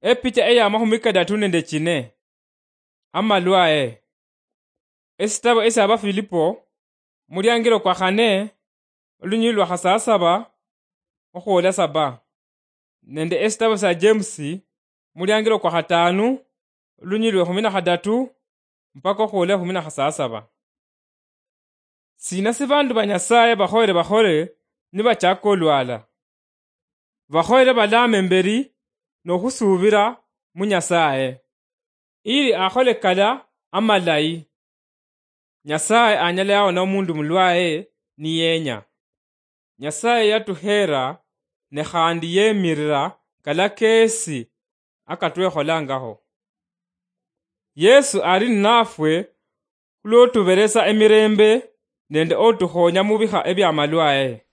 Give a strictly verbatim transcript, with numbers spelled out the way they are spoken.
Epicha eya mahumi kadatu nende chine. Amalwae. Esitabo esya Bafilipo, muliangilo kwa khane, olunyili lwa khasasaba okhwola saba, nende esitabo sya James, muliangilo kwa khatanu, olunyili lwe khumi na khadatu mpaka okhwola ekhumi na khasasaba. Sina si bandu ba Nyasaye bakhoyere bakhole nibachaka olwala? Bakhoyere balame mberi nokhusubira mu Nyasaye, ili akhole kala amalayi. Nyasaye anyala yawona omundu mulwaye niyenya. Nyasaye yatuheera ne khandi yemirira kala kesi akatwekholangakho. Yesu ali ninafwe khulwotuberesa emirembe nende otukhonya mubikha ebyamalwaye.